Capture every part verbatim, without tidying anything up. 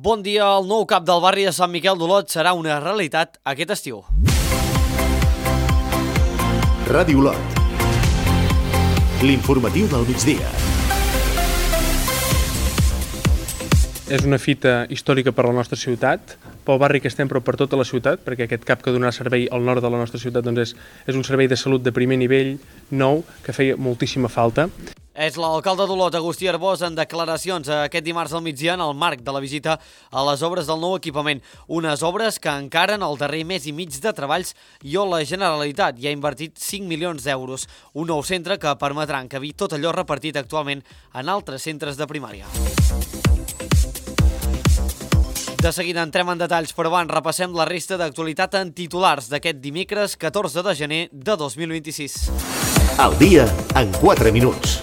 Bon dia, el nou cap del barri de Sant Miquel d'Olot serà una realitat aquest estiu. Ràdio Olot. L'informatiu del migdia. És una fita històrica per a la nostra ciutat, pel barri que estem, però per tota la ciutat, perquè aquest cap que donarà servei al nord de la nostra ciutat doncs és, és un servei de salut de primer nivell, nou, que feia moltíssima falta. És l'alcalde d'Olot, Agustí Arbós, en declaracions aquest dimarts al migdia en el marc de la visita a les obres del nou equipament. Unes obres que encaren el darrer mes i mig de treballs i on la Generalitat hi ha invertit cinc milions d'euros. Un nou centre que permetrà encabir tot allò repartit actualment en altres centres de primària. De seguida entrem en detalls, però abans repassem la resta d'actualitat en titulars d'aquest dimecres catorze de gener de dos mil vint-i-sis. Al dia en quatre minuts.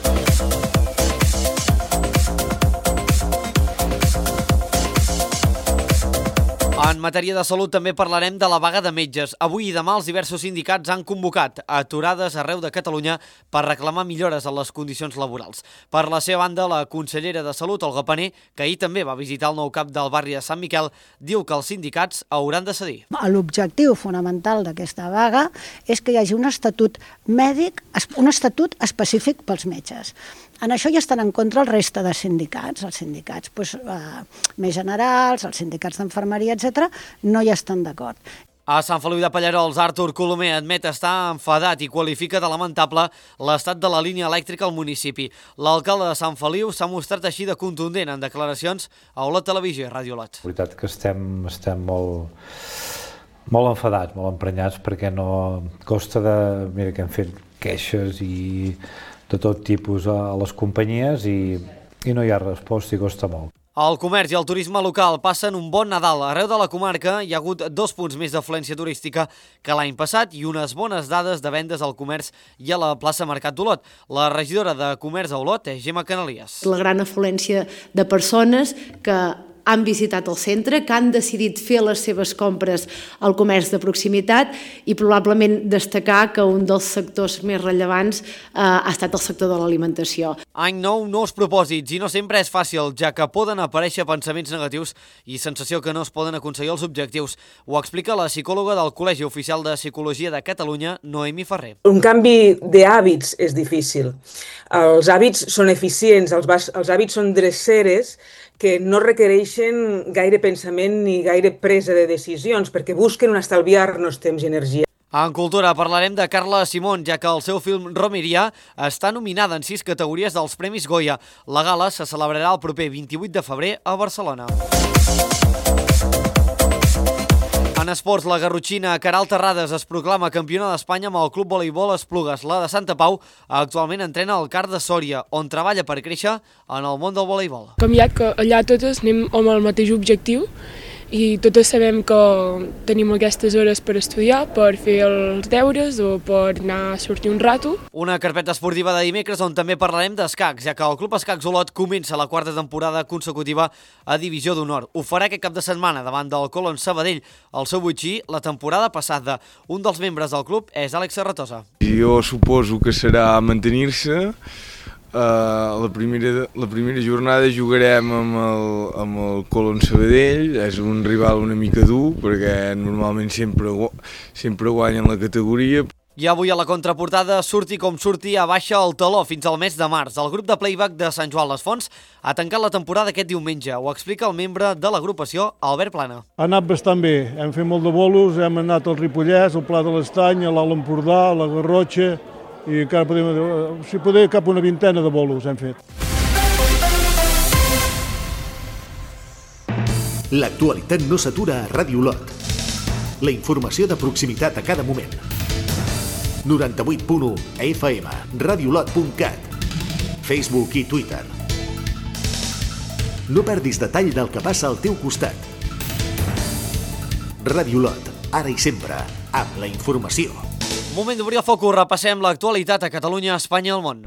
En matèria de salut també parlarem de la vaga de metges. Avui i demà els diversos sindicats han convocat aturades arreu de Catalunya per reclamar millores en les condicions laborals. Per la seva banda, la consellera de Salut, Olga Pané, que ahir també va visitar el nou cap del barri de Sant Miquel, diu que els sindicats hauran de cedir. L'objectiu fonamental d'aquesta vaga és que hi hagi un estatut mèdic, un estatut específic pels metges. En això ja estan en contra el reste de sindicats. Els sindicats doncs, eh, més generals, els sindicats d'enfermeria, etcètera, no hi estan d'acord. A Sant Feliu de Pallerols, Artur Colomer admet estar enfadat i qualifica de lamentable l'estat de la línia elèctrica al municipi. L'alcalde de Sant Feliu s'ha mostrat així de contundent en declaracions a Olot Televisió i Ràdio Olot. La veritat que estem, estem molt, molt enfadats, molt emprenyats, perquè no costa de... Mira que hem fet queixes i de tot tipus a les companyies i, i no hi ha resposta i costa molt. El comerç i el turisme local passen un bon Nadal. Arreu de la comarca hi ha hagut dos punts més d'afluència turística que l'any passat i unes bones dades de vendes al comerç i a la plaça Mercat d'Olot. La regidora de Comerç a Olot és Gemma Canalies. La gran afluència de persones que han visitat el centre, que han decidit fer les seves compres al comerç de proximitat i probablement destacar que un dels sectors més rellevants eh, ha estat el sector de l'alimentació. Any nou, nous propòsits, i no sempre és fàcil, ja que poden aparèixer pensaments negatius i sensació que no es poden aconseguir els objectius. Ho explica la psicòloga del Col·legi Oficial de Psicologia de Catalunya, Noemi Ferrer. Un canvi d'hàbits és difícil. Els hàbits són eficients, els, els hàbits són dreceres que no requereixen gaire pensament ni gaire presa de decisions, perquè busquen un estalviar-nos temps i energia. En cultura parlarem de Carla Simón, ja que el seu film Romeria està nominada en sis categories dels Premis Goya. La gala se celebrarà el proper vint-i-vuit de febrer a Barcelona. En esports, la garrotxina Queralt Terrades es proclama campiona d'Espanya amb el Club Voleibol Esplugues. La de Santa Pau actualment entrena al CAR de Sòria, on treballa per créixer en el món del voleibol. Com ja que allà totes anem amb el mateix objectiu i totes sabem que tenim aquestes hores per estudiar, per fer els deures o per anar a sortir un rato. Una carpeta esportiva de dimecres on també parlarem d'escacs, ja que el Club Escacs Olot comença la quarta temporada consecutiva a Divisió d'Honor. Ho farà aquest cap de setmana davant del Colón Sabadell. El seu botxí, la temporada passada. Un dels membres del club és Àlex Serratosa. Jo suposo que serà mantenir-se. Uh, la, primera, la primera jornada jugarem amb el, amb el Colón Sabadell. És un rival una mica dur perquè normalment sempre, sempre guanyen la categoria. I avui a la contraportada, surti com surti, abaixa el taló fins al mes de març. El grup de playback de Sant Joan les Fonts ha tancat la temporada aquest diumenge. Ho explica el membre de l'agrupació, Albert Plana. Ha anat bastant bé. Hem fet molt de bolos, hem anat al Ripollès, al Pla de l'Estany, a l'Alt Empordà, a la Garrotxa, i encara podem, si poder, cap una vintena de bolos hem fet. L'actualitat no s'atura a Ràdio Olot. La informació de proximitat a cada moment. noranta-vuit punt u F M, radiolot punt cat, Facebook i Twitter. No perdis detall del que passa al teu costat. Ràdio Olot, ara i sempre, amb la informació. Moment d'obrir el focus, repassem l'actualitat a Catalunya, Espanya i el món.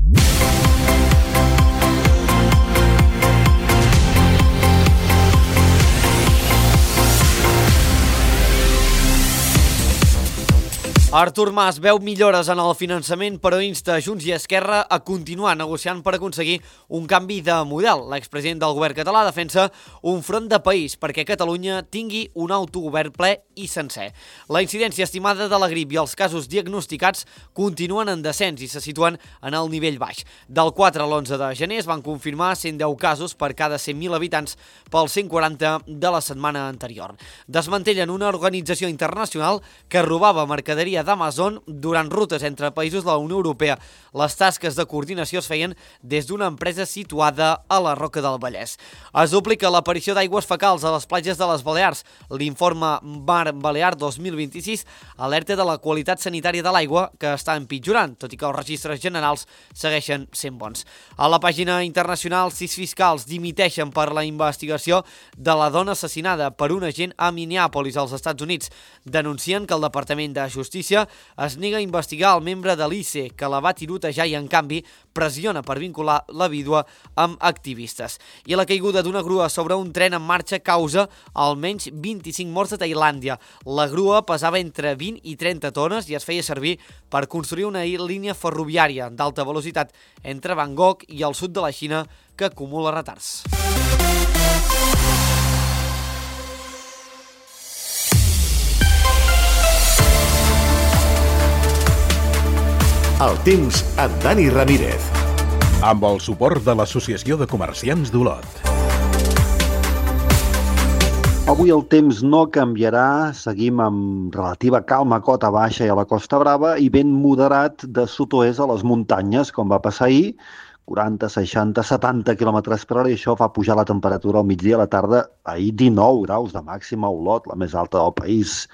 Artur Mas veu millores en el finançament, però insta Junts i Esquerra a continuar negociant per aconseguir un canvi de model. L'expresident del govern català defensa un front de país perquè Catalunya tingui un autogovern ple i sencer. La incidència estimada de la grip i els casos diagnosticats continuen en descens i se situen en el nivell baix. Del quatre a l'onze de gener es van confirmar cent deu casos per cada cent mil habitants pels cent quaranta de la setmana anterior. Desmantellen una organització internacional que robava mercaderia d'Amazon durant rutes entre països de la Unió Europea. Les tasques de coordinació es feien des d'una empresa situada a la Roca del Vallès. Es duplica l'aparició d'aigües fecals a les platges de les Balears. L'informe Mar Balear dos mil vint-i-sis alerta de la qualitat sanitària de l'aigua que està empitjorant, tot i que els registres generals segueixen sent bons. A la pàgina internacional, sis fiscals dimiteixen per la investigació de la dona assassinada per un agent a Minneapolis, als Estats Units. Denuncien que el Departament de Justícia es nega a investigar el membre de l'I C E que la va tirotejar i, en canvi, pressiona per vincular la vídua amb activistes. I la caiguda d'una grua sobre un tren en marxa causa almenys vint-i-cinc morts a Tailàndia. La grua pesava entre vint i trenta tones i es feia servir per construir una línia ferroviària d'alta velocitat entre Bangkok i el sud de la Xina que acumula retards. El temps amb Dani Ramírez. Amb el suport de l'Associació de Comerciants d'Olot. Avui el temps no canviarà, seguim amb relativa calma a cota baixa i a la Costa Brava i vent moderat de sud-oest a les muntanyes, com va passar ahir, quaranta, seixanta, setanta quilòmetres per hora, i això fa pujar la temperatura al migdia a la tarda, ahir dinou graus de màxima a Olot, la més alta del país.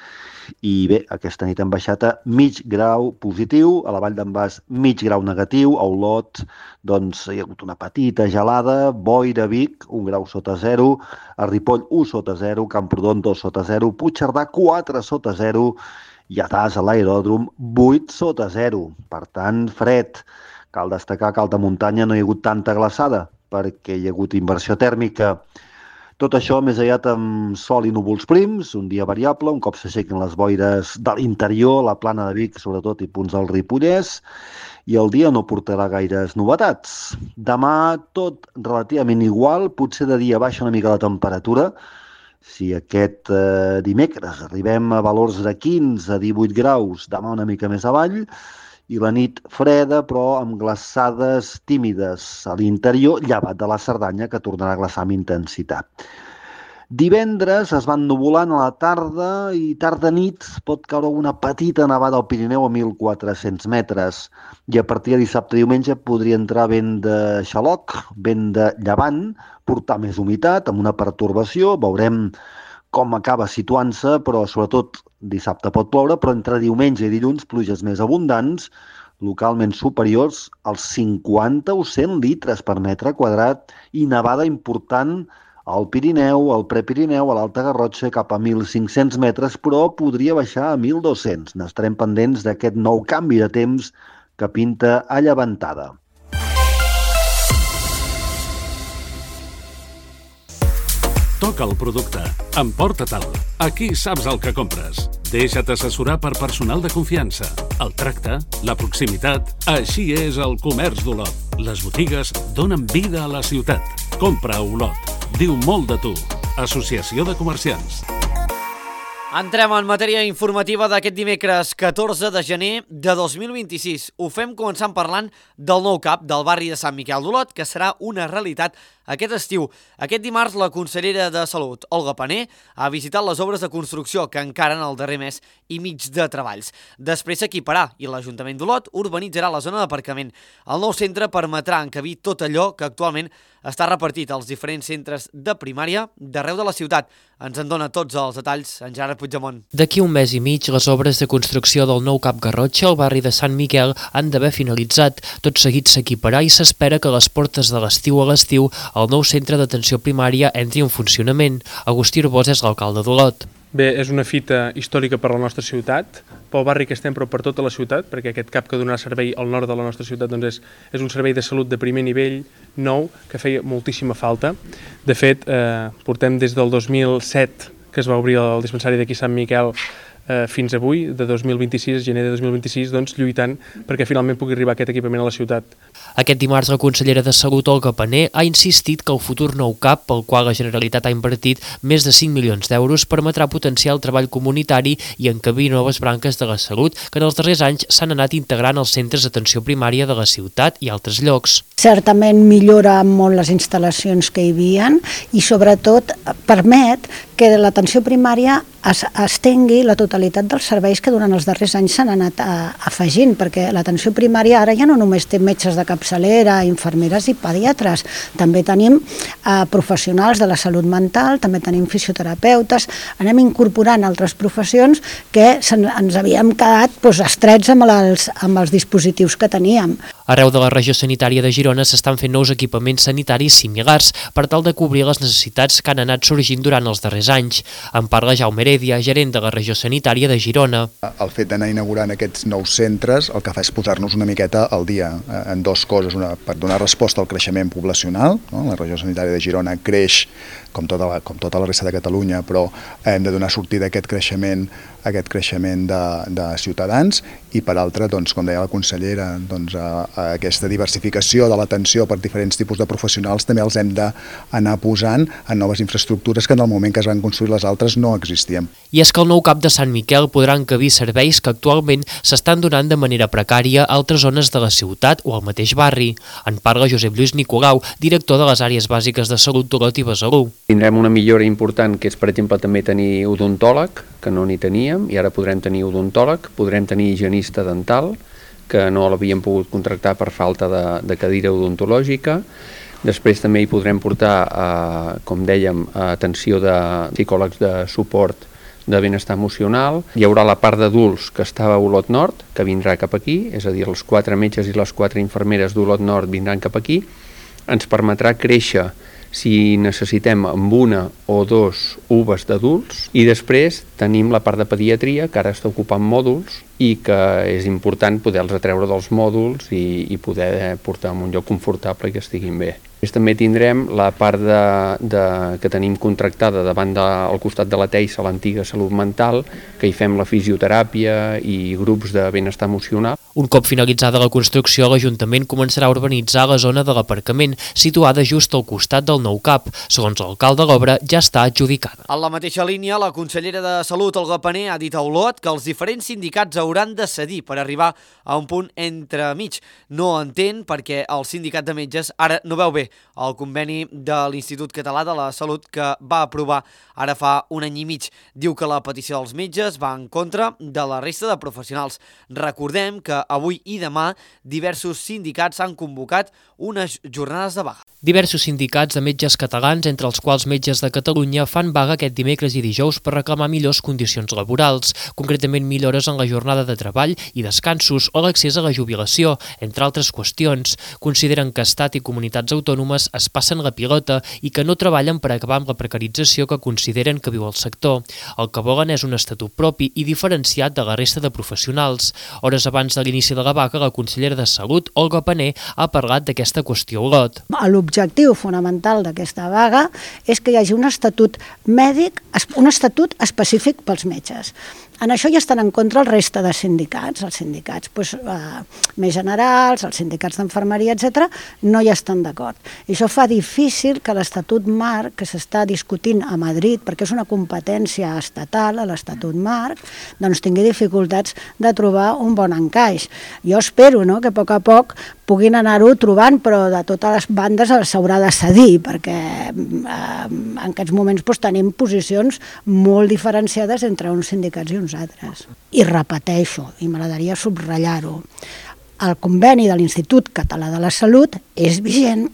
I bé, aquesta nit hem baixat a mig grau positiu, a la Vall d'en Bas mig grau negatiu, a Olot doncs hi ha hagut una petita gelada, Boira, Vic, un grau sota zero, a Ripoll un sota zero, Camprodon dos sota zero, Puigcerdà quatre sota zero i a Tas, a l'aeròdrom, vuit sota zero. Per tant, fred. Cal destacar que a alta muntanya no hi ha hagut tanta glaçada perquè hi ha hagut inversió tèrmica. Tot això més aviat amb sol i núvols prims, un dia variable, un cop s'aixequen les boires de l'interior, la plana de Vic, sobretot, i punts del Ripollès, i el dia no portarà gaires novetats. Demà tot relativament igual, potser de dia baixa una mica la temperatura. Si aquest eh, dimecres arribem a valors de quinze a divuit graus, demà una mica més avall, i la nit freda, però amb glaçades tímides a l'interior, llevat de la Cerdanya, que tornarà a glaçar amb intensitat. Divendres es van nuvolant a la tarda i tarda-nit pot caure una petita nevada al Pirineu a mil quatre-cents metres. I a partir de dissabte i diumenge podria entrar vent de xaloc, vent de llevant, portar més humitat, amb una pertorbació, veurem com acaba situant-se, però sobretot dissabte pot ploure, però entre diumenge i dilluns pluges més abundants, localment superiors als cinquanta o cent litres per metre quadrat i nevada important al Pirineu, al Prepirineu, a l'Alta Garrotxa, cap a mil cinc-cents metres, però podria baixar a mil dos-cents. N'estarem pendents d'aquest nou canvi de temps que pinta a llevantada. Toca el producte. Emporta-te'l. Aquí saps el que compres. Deixa't assessorar per personal de confiança. El tracte, la proximitat... Així és el comerç d'Olot. Les botigues donen vida a la ciutat. Compra a Olot. Diu molt de tu. Associació de Comerciants. Entrem en matèria informativa d'aquest dimecres catorze de gener de dos mil vint-i-sis. Ho fem començant parlant del nou C A P del barri de Sant Miquel d'Olot, que serà una realitat aquest estiu. Aquest dimarts la consellera de Salut, Olga Pané, ha visitat les obres de construcció que encaren el darrer mes i mig de treballs. Després s'equiparà i l'Ajuntament d'Olot urbanitzarà la zona d'aparcament. El nou centre permetrà encabir tot allò que actualment està repartit als diferents centres de primària d'arreu de la ciutat. Ens en dona tots els detalls en Gerard Puigdemont. D'aquí un mes i mig, les obres de construcció del nou C A P Garrotxa al barri de Sant Miquel han d'haver finalitzat. Tot seguit s'equiparà i s'espera que a les portes de l'estiu a l'estiu el nou centre d'atenció primària entri en funcionament. Agustí Arbós és l'alcalde d'Olot. Bé, és una fita històrica per a la nostra ciutat, pel barri que estem, però per tota la ciutat, perquè aquest C A P que donarà servei al nord de la nostra ciutat doncs és, és un servei de salut de primer nivell, nou, que feia moltíssima falta. De fet, eh, portem des del dos mil set, que es va obrir el dispensari d'aquí Sant Miquel, eh, fins avui, de dos mil vint-i-sis, gener de dos mil vint-i-sis, doncs, lluitant perquè finalment pugui arribar aquest equipament a la ciutat. Aquest dimarts, la consellera de Salut, Olga Pané, ha insistit que el futur nou C A P, pel qual la Generalitat ha invertit més de cinc milions d'euros, permetrà potenciar el treball comunitari i encabir noves branques de la salut que en els darrers anys s'han anat integrant als centres d'atenció primària de la ciutat i altres llocs. Certament millora molt les instal·lacions que hi havia i sobretot permet que l'atenció primària es, estengui la totalitat dels serveis que durant els darrers anys s'han anat a, afegint, perquè l'atenció primària ara ja no només té metges de capçalera, infermeres i pediatres, també tenim eh, professionals de la salut mental, també tenim fisioterapeutes, anem incorporant altres professions que ens havíem quedat doncs, estrets amb els, amb els dispositius que teníem. Arreu de la regió sanitària de Girona s'estan fent nous equipaments sanitaris similars per tal de cobrir les necessitats que han anat sorgint durant els darrers anys. En parla Jaume Heredia, gerent de la regió sanitària de Girona. El fet d'anar inaugurant aquests nous centres el que fa és posar-nos una miqueta al dia en dues coses. Una, per donar resposta al creixement poblacional, no? La regió sanitària de Girona creix com tota la, com tota la resta de Catalunya, però hem de donar sortida a aquest creixement, a aquest creixement de, de ciutadans i per altra, doncs, com deia la consellera, doncs, a, a aquesta diversificació de l'atenció per diferents tipus de professionals també els hem d'anar posant en noves infraestructures que en el moment que es van construir les altres no existien. I és que el nou C A P de Sant Miquel podrà encabir serveis que actualment s'estan donant de manera precària a altres zones de la ciutat o al mateix barri. En parla Josep Lluís Nicolau, director de les àrees bàsiques de salut d'Olot i Besalú. Tindrem una millora important, que és, per exemple, també tenir odontòleg, que no n'hi teníem, i ara podrem tenir odontòleg, podrem tenir higienista dental, que no l'havíem pogut contractar per falta de, de cadira odontològica. Després també hi podrem portar, eh, com dèiem, atenció de psicòlegs de suport de benestar emocional. Hi haurà la part d'adults que estava a Olot Nord, que vindrà cap aquí, és a dir, els quatre metges i les quatre infermeres d'Olot Nord vindran cap aquí. Ens permetrà créixer si necessitem amb una o dos U B As d'adults, i després tenim la part de pediatria, que ara està ocupant mòduls i que és important poder-los atreure dels mòduls i, i poder portar en un lloc confortable i que estiguin bé. Després també tindrem la part de, de, que tenim contractada davant de, al costat de la Teixa, l'antiga salut mental, que hi fem la fisioteràpia i grups de benestar emocional. Un cop finalitzada la construcció, l'Ajuntament començarà a urbanitzar la zona de l'aparcament, situada just al costat del nou C A P. Segons l'alcalde, l'obra ja està adjudicada. En la mateixa línia, la consellera de Salut, Olga Pané, ha dit a Olot que els diferents sindicats hauran de cedir per arribar a un punt entremig. No entén perquè el sindicat de metges ara no veu bé el conveni de l'Institut Català de la Salut que va aprovar ara fa un any i mig. Diu que la petició dels metges va en contra de la resta de professionals. Recordem que avui i demà diversos sindicats han convocat unes jornades de vaga. Diversos sindicats de metges catalans, entre els quals Metges de Catalunya, fan vaga aquest dimecres i dijous per reclamar millors condicions laborals, concretament millores en la jornada de treball i descansos o l'accés a la jubilació, entre altres qüestions. Consideren que Estat i comunitats autònomes es passen la pilota i que no treballen per acabar amb la precarització que consideren que viu el sector. El que volen és un estatut propi i diferenciat de la resta de professionals. Hores abans de l'inici de la vaga, la consellera de Salut, Olga Pané, ha parlat d'aquesta qüestió a Olot. L'objectiu fonamental d'aquesta vaga és que hi hagi un estatut mèdic, un estatut específic pels metges. En això ja estan en contra el resta de sindicats. Els sindicats doncs, eh, més generals, els sindicats d'infermeria, etcètera, no hi estan d'acord. I això fa difícil que l'Estatut Marc, que s'està discutint a Madrid, perquè és una competència estatal, l'Estatut Marc, doncs tingui dificultats de trobar un bon encaix. Jo espero, no?, que a poc a poc puguin anar-ho trobant, però de totes les bandes s'haurà de cedir, perquè eh, en aquests moments doncs, tenim posicions molt diferenciades entre uns sindicats i uns altres. I repeteixo, i m'agradaria subratllar-ho, el conveni de l'Institut Català de la Salut és vigent,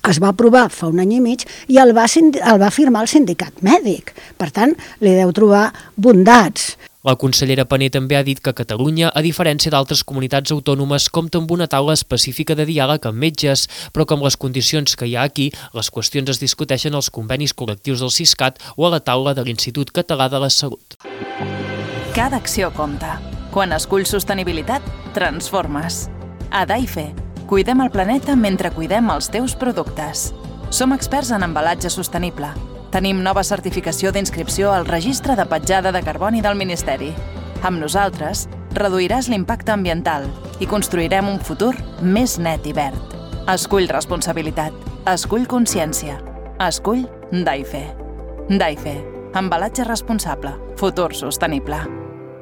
es va aprovar fa un any i mig i el va, el va firmar el sindicat mèdic. Per tant, li deu trobar bondats. La consellera Pané també ha dit que Catalunya, a diferència d'altres comunitats autònomes, compta amb una taula específica de diàleg amb metges, però com les condicions que hi ha aquí, les qüestions es discuteixen als convenis col·lectius del Siscat o a la taula de l'Institut Català de la Salut. Cada acció compta. Quan esculls sostenibilitat, transformes. A Daife, cuidem el planeta mentre cuidem els teus productes. Som experts en embalatge sostenible. Tenim nova certificació d'inscripció al Registre de Petjada de Carboni del Ministeri. Amb nosaltres, reduiràs l'impacte ambiental i construirem un futur més net i verd. Escull responsabilitat. Escull consciència. Escull DAIFE. DAIFE. Embalatge responsable. Futur sostenible.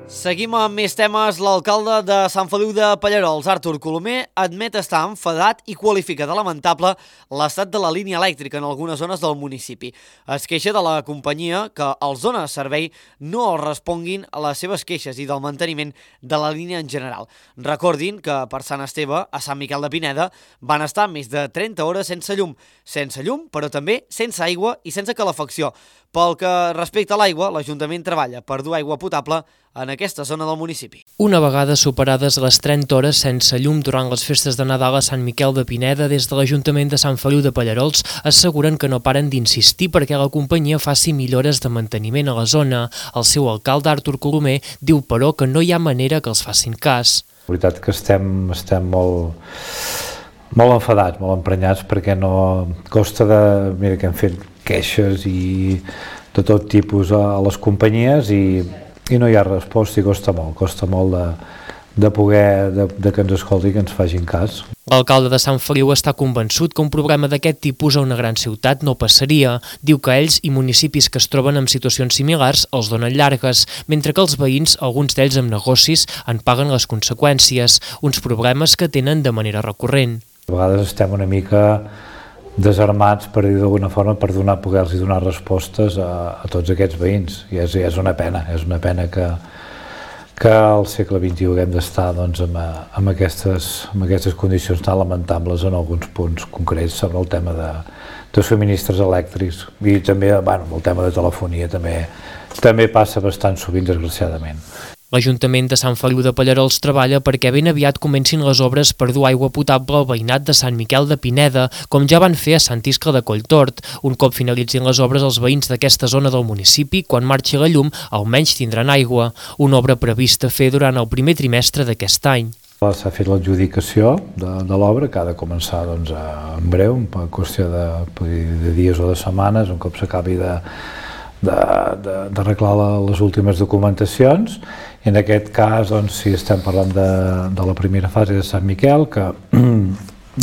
Seguim amb més temes. L'alcalde de Sant Feliu de Pallerols, Artur Colomer, admet estar enfadat i qualifica de lamentable l'estat de la línia elèctrica en algunes zones del municipi. Es queixa de la companyia que els dona servei no els responguin a les seves queixes i del manteniment de la línia en general. Recordin que per Sant Esteve, a Sant Miquel de Pineda, van estar més de trenta hores sense llum. Sense llum, però també sense aigua i sense calefacció. Pel que respecta a l'aigua, l'Ajuntament treballa per dur aigua potable en aquesta zona del municipi. Una vegada superades les trenta hores sense llum durant les festes de Nadal a Sant Miquel de Pineda, des de l'Ajuntament de Sant Feliu de Pallerols asseguren que no paren d'insistir perquè la companyia faci millores de manteniment a la zona. El seu alcalde, Artur Colomer, diu però que no hi ha manera que els facin cas. La veritat que estem, estem molt, molt enfadats, molt emprenyats, perquè no costa de... Mira que hem fet queixes i de tot tipus a les companyies i, i no hi ha resposta i costa molt, costa molt de, de poder, de, de que ens escolti i que ens facin cas. L'alcalde de Sant Feliu està convençut que un problema d'aquest tipus a una gran ciutat no passaria. Diu que ells i municipis que es troben en situacions similars els donen llargues, mentre que els veïns, alguns d'ells amb negocis, en paguen les conseqüències, uns problemes que tenen de manera recurrent. A vegades estem una mica desarmats, per dir d'alguna forma, per donar, poder-los donar respostes a, a tots aquests veïns. I és, és una pena, és una pena que, que al segle vint-i-u haguem d'estar doncs, amb, amb, aquestes, amb aquestes condicions tan lamentables en alguns punts concrets sobre el tema de, de subministres elèctrics. I també, bueno, el tema de telefonia també, també passa bastant sovint, desgraciadament. L'Ajuntament de Sant Feliu de Pallerols treballa perquè ben aviat comencin les obres per dur aigua potable al veïnat de Sant Miquel de Pineda, com ja van fer a Sant Iscle de Colltort. Un cop finalitzin les obres, els veïns d'aquesta zona del municipi, quan marxi la llum, almenys tindran aigua, una obra prevista fer durant el primer trimestre d'aquest any. S'ha fet l'adjudicació de, de l'obra, que ha de començar doncs, en breu, en qüestió de, de dies o de setmanes, un cop s'acabi de d'arreglar les últimes documentacions. I en aquest cas, doncs, si estem parlant de, de la primera fase de Sant Miquel, que,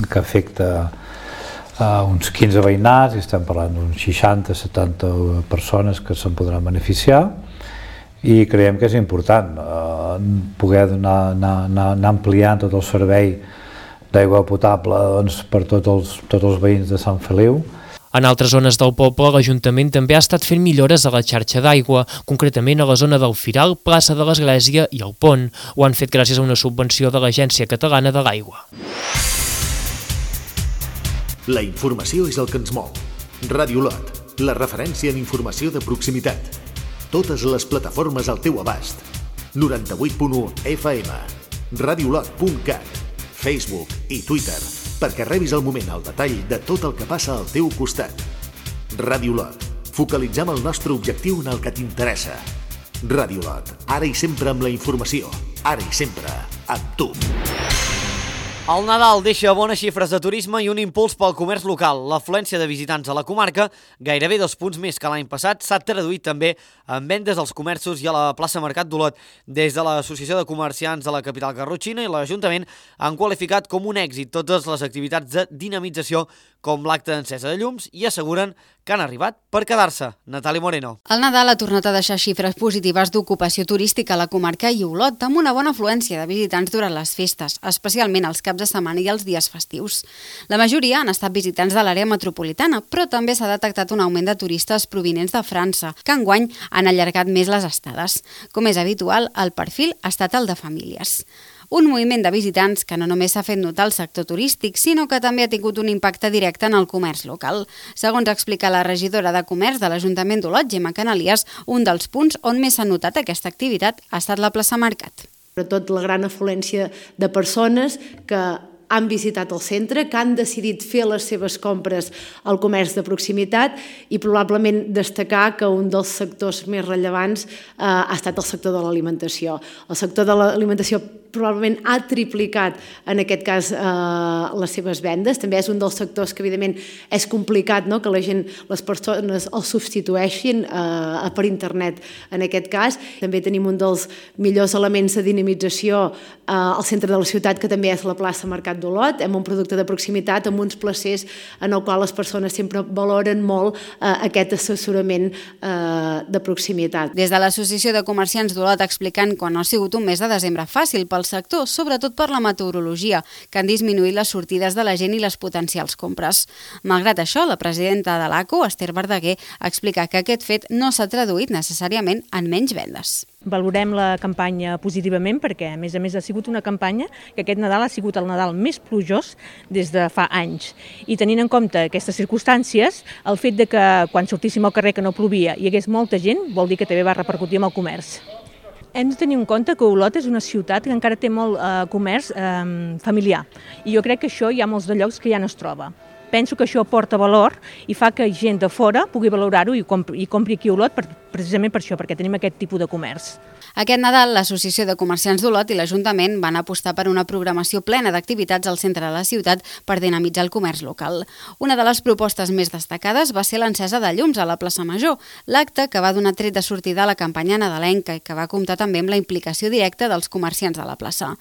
que afecta a uns quinze veïnats, i estem parlant d'uns seixanta setanta persones que se'n podran beneficiar, i creiem que és important eh, poder donar, anar, anar, anar ampliant tot el servei d'aigua potable doncs, per tots els, tots els veïns de Sant Feliu. En altres zones del poble, l'Ajuntament també ha estat fent millores a la xarxa d'aigua, concretament a la zona del Firal, plaça de l'Església i el Pont. Ho han fet gràcies a una subvenció de l'Agència Catalana de l'Aigua. La informació és el que ens mou. Ràdio Lot, la referència en informació de proximitat. Totes les plataformes al teu abast. noranta-vuit punt u F M, radiolot punt cat, Facebook i Twitter, perquè rebis al moment el detall de tot el que passa al teu costat. Ràdio Lot. Focalitzem el nostre objectiu en el que t'interessa. Ràdio Lot. Ara i sempre amb la informació. Ara i sempre amb tu. El Nadal deixa bones xifres de turisme i un impuls pel comerç local. L'afluència de visitants a la comarca, gairebé dos punts més que l'any passat, s'ha traduït també en vendes als comerços i a la plaça Mercat d'Olot. Des de l'Associació de Comerciants de la capital garrotxina i l'Ajuntament han qualificat com un èxit totes les activitats de dinamització com l'acte d'encesa de llums i asseguren que han arribat per quedar-se. Natàlia Moreno. El Nadal ha tornat a deixar xifres positives d'ocupació turística a la comarca i Olot, amb una bona afluència de visitants durant les festes, especialment els caps de setmana i els dies festius. La majoria han estat visitants de l'àrea metropolitana, però també s'ha detectat un augment de turistes provinents de França, que enguany han allargat més les estades. Com és habitual, el perfil ha estat el de famílies. Un moviment de visitants que no només s'ha fet notar al sector turístic, sinó que també ha tingut un impacte directe en el comerç local. Segons explica la regidora de Comerç de l'Ajuntament d'Olot, Gemma Canalies, un dels punts on més s'ha notat aquesta activitat ha estat la plaça Mercat. Sobretot la gran afluència de persones que han visitat el centre, que han decidit fer les seves compres al comerç de proximitat i probablement destacar que un dels sectors més rellevants eh, ha estat el sector de l'alimentació. El sector de l'alimentació probablement ha triplicat en aquest cas eh, les seves vendes. També és un dels sectors que evidentment és complicat, no?, que la gent, les persones el substitueixin eh, per internet en aquest cas. També tenim un dels millors elements de dinamització eh, al centre de la ciutat, que també és la plaça Mercat d'Olot, amb un producte de proximitat, amb uns placers en el qual les persones sempre valoren molt eh, aquest assessorament eh, de proximitat. Des de l'Associació de Comerciants d'Olot explicant que no ha sigut un mes de desembre fàcil pel sector, sobretot per la meteorologia, que han disminuït les sortides de la gent i les potencials compres. Malgrat això, la presidenta de l'A C O, Esther Verdaguer, explica que aquest fet no s'ha traduït necessàriament en menys vendes. Valorem la campanya positivament perquè, a més a més, ha sigut una campanya que aquest Nadal ha sigut el Nadal més plujós des de fa anys. I tenint en compte aquestes circumstàncies, el fet de que quan sortíssim al carrer que no plovia hi hagués molta gent, vol dir que també va repercutir en el comerç. Hem de tenir en compte que Olot és una ciutat que encara té molt eh, comerç eh, familiar i jo crec que això hi ha molts de llocs que ja no es troba. Penso que això aporta valor i fa que gent de fora pugui valorar-ho i compri, i compri aquí a Olot per, precisament per això, perquè tenim aquest tipus de comerç. Aquest Nadal, l'Associació de Comerciants d'Olot i l'Ajuntament van apostar per una programació plena d'activitats al centre de la ciutat per dinamitzar el comerç local. Una de les propostes més destacades va ser l'encesa de llums a la plaça Major, l'acte que va donar tret de sortida a la campanya nadalenca i que va comptar també amb la implicació directa dels comerciants de la plaça.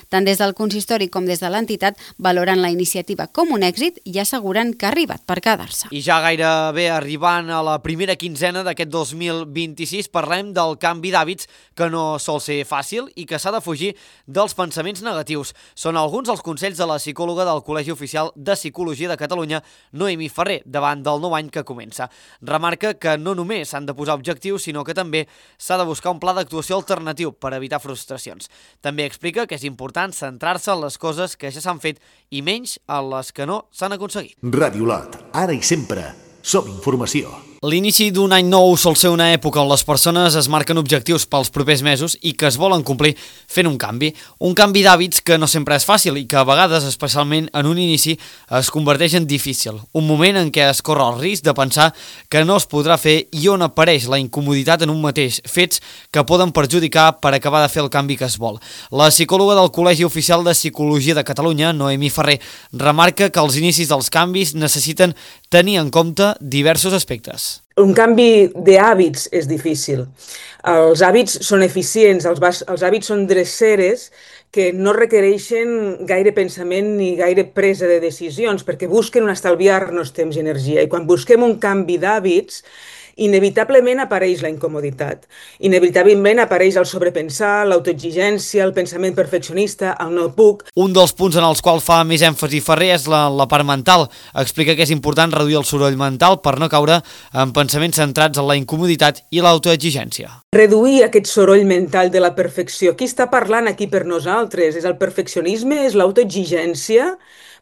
Tant des del consistori com des de l'entitat valoren la iniciativa com un èxit i asseguren que ha arribat per quedar-se. I ja gairebé arribant a la primera quinzena d'aquest dos mil vint-i-sis parlem del canvi d'hàbits que no sol ser fàcil i que s'ha de fugir dels pensaments negatius. Són alguns dels consells de la psicòloga del Col·legi Oficial de Psicologia de Catalunya, Noemí Ferrer, davant del nou any que comença. Remarca que no només s'han de posar objectius, sinó que també s'ha de buscar un pla d'actuació alternatiu per evitar frustracions. També explica que és important centrar-se en les coses que ja s'han fet i menys en les que no s'han aconseguit. Ràdio Olot, ara i sempre, som informació. L'inici d'un any nou sol ser una època on les persones es marquen objectius pels propers mesos i que es volen complir fent un canvi. Un canvi d'hàbits que no sempre és fàcil i que a vegades, especialment en un inici, es converteix en difícil. Un moment en què es corre el risc de pensar que no es podrà fer i on apareix la incomoditat en un mateix, fets que poden perjudicar per acabar de fer el canvi que es vol. La psicòloga del Col·legi Oficial de Psicologia de Catalunya, Noemí Ferrer, remarca que els inicis dels canvis necessiten tenir en compte diversos aspectes. Un canvi d'hàbits és difícil. Els hàbits són eficients, els, els hàbits són dreceres que no requereixen gaire pensament ni gaire presa de decisions, perquè busquen un estalviar-nos temps i energia. I quan busquem un canvi d'hàbits, inevitablement apareix la incomoditat. Inevitablement apareix el sobrepensar, l'autoexigència, el pensament perfeccionista, el no puc. Un dels punts en els quals fa més èmfasi Ferrer és la, la part mental. Explica que és important reduir el soroll mental per no caure en pensaments centrats en la incomoditat i l'autoexigència. Reduir aquest soroll mental de la perfecció. Qui està parlant aquí per nosaltres? És el perfeccionisme? És l'autoexigència?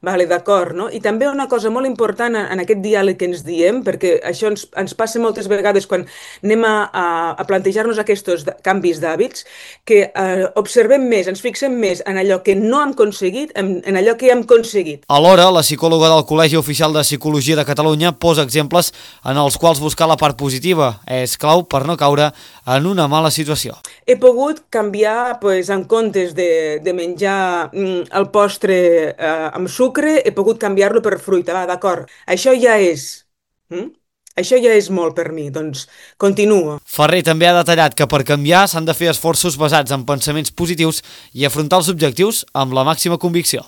Vale, d'acord, no? I també una cosa molt important en aquest diàleg que ens diem, perquè això ens, ens passa moltes vegades quan anem a, a, a plantejar-nos aquests canvis d'hàbits, que eh, observem més, ens fixem més en allò que no hem aconseguit, en, en allò que hem aconseguit. Alhora, la psicòloga del Col·legi Oficial de Psicologia de Catalunya posa exemples en els quals buscar la part positiva és clau per no caure en una mala situació. He pogut canviar, pues, en comptes de, de menjar mm, el postre eh, amb sucre, he pogut canviar-lo per fruita, va, d'acord. Això ja és... Mm? Això ja és molt per mi, doncs continuo. Ferrer també ha detallat que per canviar s'han de fer esforços basats en pensaments positius i afrontar els objectius amb la màxima convicció.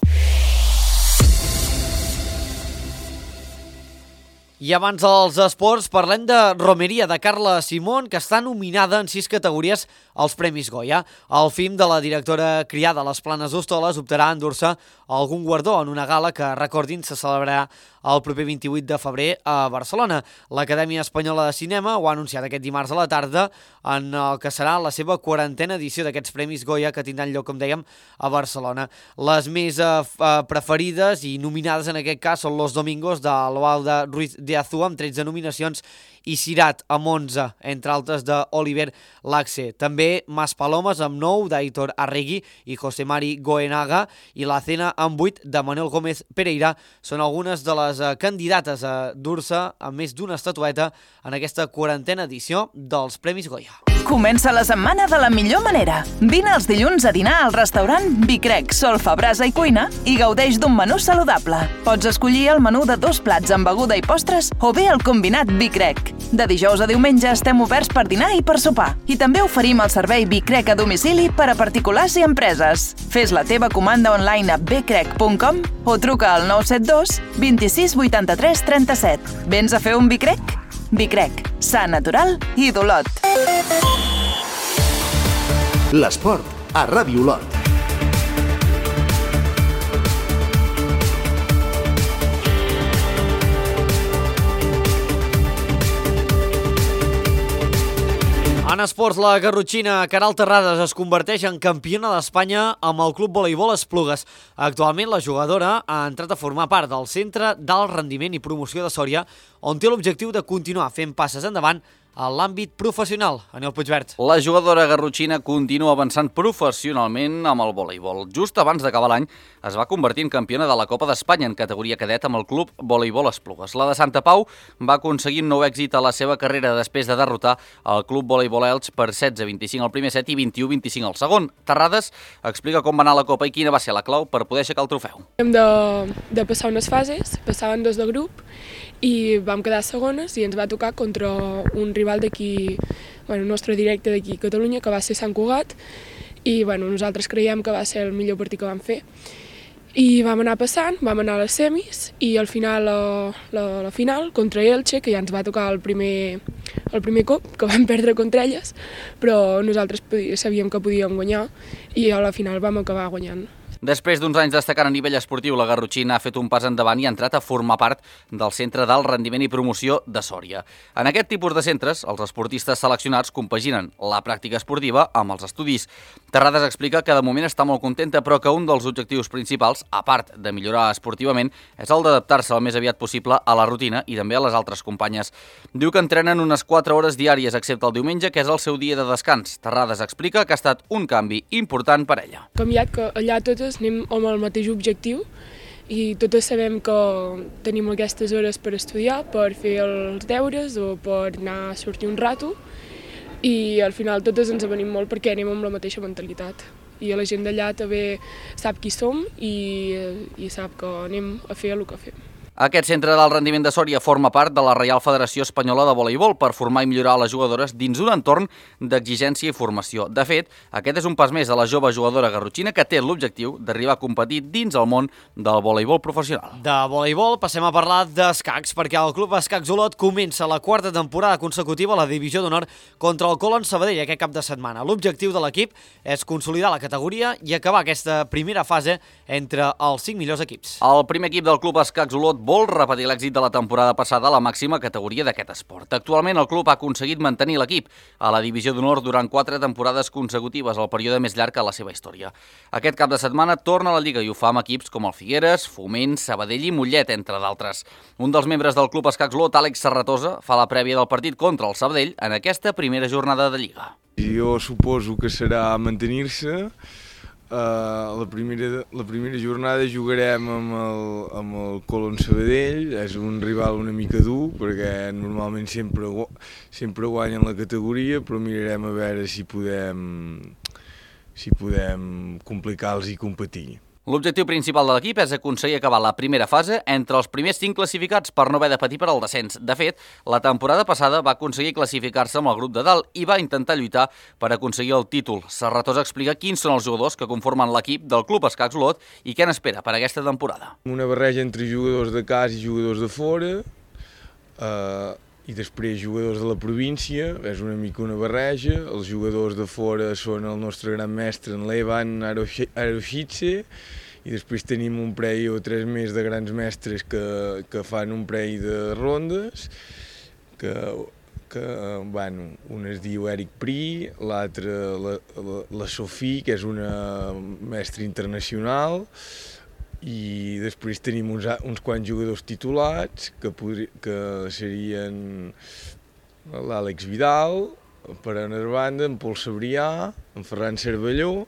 I abans dels esports parlem de Romeria, de Carla Simón, que està nominada en sis categories als Premis Goya. El film de la directora criada a les Planes d'Hostoles optarà a endur-se algun guardó en una gala que, recordin, se celebrarà el proper vint-i-vuit de febrer a Barcelona. L'Acadèmia Espanyola de Cinema ho ha anunciat aquest dimarts a la tarda en el que serà la seva quarantena edició d'aquests Premis Goya que tindran lloc, com dèiem, a Barcelona. Les més eh, preferides i nominades en aquest cas són Los Domingos de Loalda Ruiz de Azua amb tretze nominacions i Cirat amb onze, entre altres d'Oliver Laxe. També Mas Palomes amb nou, d'Aitor Arregui i José Mari Goenaga, i la Cena amb vuit de Manuel Gómez Pereira són algunes de les candidates a dur-se amb més d'una estatueta en aquesta quarantena edició dels Premis Goya. Comença la setmana de la millor manera. Vine els dilluns a dinar al restaurant Bicrec, Solfa, Brasa i Cuina i gaudeix d'un menú saludable. Pots escollir el menú de dos plats amb beguda i postres o bé el combinat Bicrec. De dijous a diumenge estem oberts per dinar i per sopar. I també oferim el servei Bicrec a domicili per a particulars i empreses. Fes la teva comanda online a bicrec punt com o truca al nou set dos vint-i-sis vuitanta-tres trenta-set. Vens a fer un Bicrec? Bicrec, sa, natural i d'Olot. L'esport a Ràdio Olot. En esports, la garrotxina Caral Terrades es converteix en campiona d'Espanya amb el Club Voleibol Esplugues. Actualment, la jugadora ha entrat a formar part del Centre d'Alt Rendiment i Promoció de Sòria, on té l'objectiu de continuar fent passes endavant a l'àmbit professional. Anel Puigvert. La jugadora garrotxina continua avançant professionalment amb el voleibol. Just abans d'acabar l'any es va convertir en campiona de la Copa d'Espanya en categoria cadet amb el Club Voleibol Esplugues. La de Santa Pau va aconseguir un nou èxit a la seva carrera després de derrotar el Club Voleibol Elx per setze a vint-i-cinc al primer set i vint-i-u a vint-i-cinc al segon. Terrades explica com va anar la Copa i quina va ser la clau per poder aixecar el trofeu. Hem de, de passar unes fases, passaven dos de grup i vam quedar segones i ens va tocar contra un rival d'aquí, bueno, nostre directe d'aquí a Catalunya, que va ser Sant Cugat, i bueno, nosaltres creiem que va ser el millor partit que vam fer. I vam anar passant, vam anar a les semis i al final, la, la, la final, contra Elche, que ja ens va tocar el primer, el primer cop, que vam perdre contra elles, però nosaltres sabíem que podíem guanyar i a la final vam acabar guanyant. Després d'uns anys destacant a nivell esportiu, la garrotxina ha fet un pas endavant i ha entrat a formar part del Centre d'Alt Rendiment i Promoció de Sòria. En aquest tipus de centres, els esportistes seleccionats compaginen la pràctica esportiva amb els estudis. Terrades explica que de moment està molt contenta, però que un dels objectius principals, a part de millorar esportivament, és el d'adaptar-se el més aviat possible a la rutina i també a les altres companyes. Diu que entrenen unes quatre hores diàries, excepte el diumenge, que és el seu dia de descans. Terrades explica que ha estat un canvi important per ella. Canviat que allà totes anem amb el mateix objectiu i totes sabem que tenim aquestes hores per estudiar, per fer els deures o per anar a sortir un rato, i al final totes ens avenim molt perquè anem amb la mateixa mentalitat. I la gent d'allà també sap qui som i, i sap que anem a fer el que fem. Aquest centre d'alt rendiment de Sòria forma part de la Reial Federació Espanyola de Voleibol per formar i millorar les jugadores dins un entorn d'exigència i formació. De fet, aquest és un pas més de la jove jugadora garrotxina que té l'objectiu d'arribar a competir dins el món del voleibol professional. De voleibol passem a parlar d'escacs, perquè el Club Escacs Olot comença la quarta temporada consecutiva a la Divisió d'Honor contra el Colón Sabadell aquest cap de setmana. L'objectiu de l'equip és consolidar la categoria i acabar aquesta primera fase entre els cinc millors equips. El primer equip del Club Escacs Olot vol repetir l'èxit de la temporada passada a la màxima categoria d'aquest esport. Actualment el club ha aconseguit mantenir l'equip a la Divisió d'Honor durant quatre temporades consecutives, el període més llarg a la seva història. Aquest cap de setmana torna a la Lliga i ho fa amb equips com el Figueres, Foment, Sabadell i Mollet, entre d'altres. Un dels membres del Club Escacs Olot, Àlex Serratosa, fa la prèvia del partit contra el Sabadell en aquesta primera jornada de Lliga. Jo suposo que serà mantenir-se. Uh, la, primera, la primera jornada jugarem amb el, amb el Colón Sabadell. És un rival una mica dur perquè normalment sempre, sempre guanyen la categoria, però mirarem a veure si podem, si podem complicar-los i competir. L'objectiu principal de l'equip és aconseguir acabar la primera fase entre els primers cinc classificats per no haver de patir per al descens. De fet, la temporada passada va aconseguir classificar-se amb el grup de dalt i va intentar lluitar per aconseguir el títol. Serratosa explica quins són els jugadors que conformen l'equip del Club Escacs Olot i què n'espera per aquesta temporada. Una barreja entre jugadors de casa i jugadors de fora, eh, i després jugadors de la província, és una mica una barreja. Els jugadors de fora són el nostre gran mestre, en Levan Aroshitse, i després tenim un parell o tres més de grans mestres que, que fan un parell de rondes, que, que bueno, un es diu Eric Pri, l'altre la, la, la Sofí, que és una mestra internacional, i després tenim uns, uns quants jugadors titulats que, podri, que serien l'Àlex Vidal, per una banda, en Pol Sabrià, en Ferran Cervelló,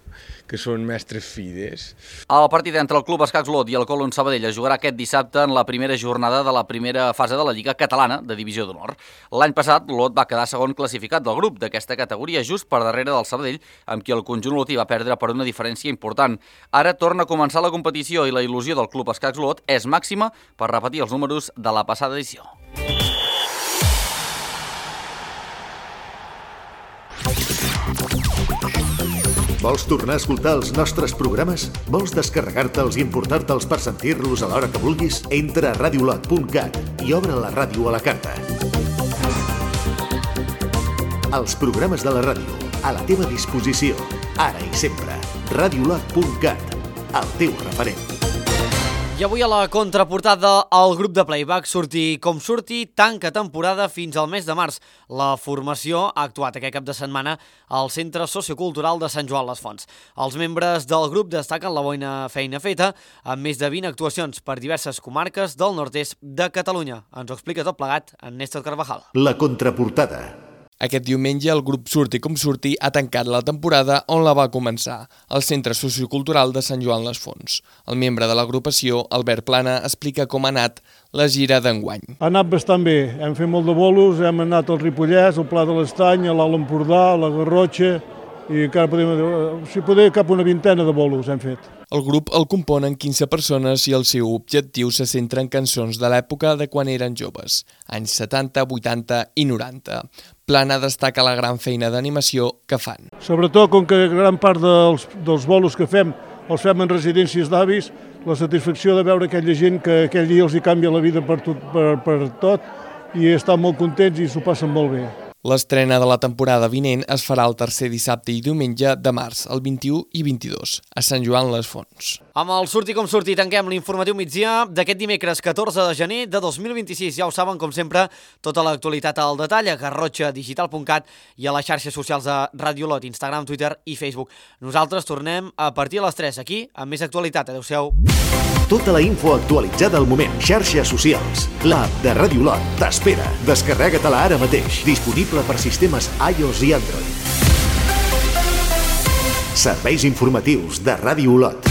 que són mestres fides. El partit entre el Club Escacs Olot i el Colón Sabadell es jugarà aquest dissabte en la primera jornada de la primera fase de la Lliga Catalana de Divisió d'Honor. L'any passat, l'Olot va quedar segon classificat del grup d'aquesta categoria, just per darrere del Sabadell, amb qui el conjunt olotí va perdre per una diferència important. Ara torna a començar la competició i la il·lusió del Club Escacs Olot és màxima per repetir els números de la passada edició. Vols tornar a escoltar els nostres programes? Vols descarregar-te'ls i emportar-te'ls per sentir-los a l'hora que vulguis? Entra a radiolot punt cat i obre la ràdio a la carta. Els programes de la ràdio, a la teva disposició, ara i sempre. radiolot punt cat, el teu referent. I avui a la contraportada el grup de playback Surti com surti tanca temporada fins al mes de març. La formació ha actuat aquest cap de setmana al Centre Sociocultural de Sant Joan les Fonts. Els membres del grup destaquen la bona feina feta amb més de vint actuacions per diverses comarques del nord-est de Catalunya. Ens ho explica tot plegat en Néstor Carvajal. La contraportada. Aquest diumenge el grup Surti com surti ha tancat la temporada on la va començar, al Centre Sociocultural de Sant Joan les Fonts. El membre de l'agrupació, Albert Plana, explica com ha anat la gira d'enguany. Ha anat bastant bé, hem fet molt de bolos, hem anat al Ripollès, al Pla de l'Estany, a l'Alt Empordà, a la Garrotxa, i encara podem, si poder, cap una vintena de bolos hem fet. El grup el componen quinze persones i el seu objectiu se centra en cançons de l'època de quan eren joves, anys setanta, vuitanta i noranta. Plana destaca la gran feina d'animació que fan. Sobretot, com que gran part dels, dels bolos que fem els fem en residències d'avis, la satisfacció de veure aquella gent que aquell dia els hi canvia la vida per tot, per, per tot i estan molt contents i s'ho passen molt bé. L'estrena de la temporada vinent es farà el tercer dissabte i diumenge de març, el vint-i-u i vint-i-dos, a Sant Joan les Fonts. Amb el Surti com surti tanquem l'informatiu migdia d'aquest dimecres catorze de gener de dos mil vint-i-sis. Ja ho saben, com sempre, tota l'actualitat al detall a garrotxa digital punt cat i a les xarxes socials de Ràdio Olot, Instagram, Twitter i Facebook. Nosaltres tornem a partir de les tres aquí amb més actualitat. Adéu-siau. Tota la info actualitzada al moment. Xarxes socials. L'app de Ràdio Olot t'espera. Descarrega-te-la ara mateix. Disponible per sistemes iOS i Android. Serveis informatius de Ràdio Olot.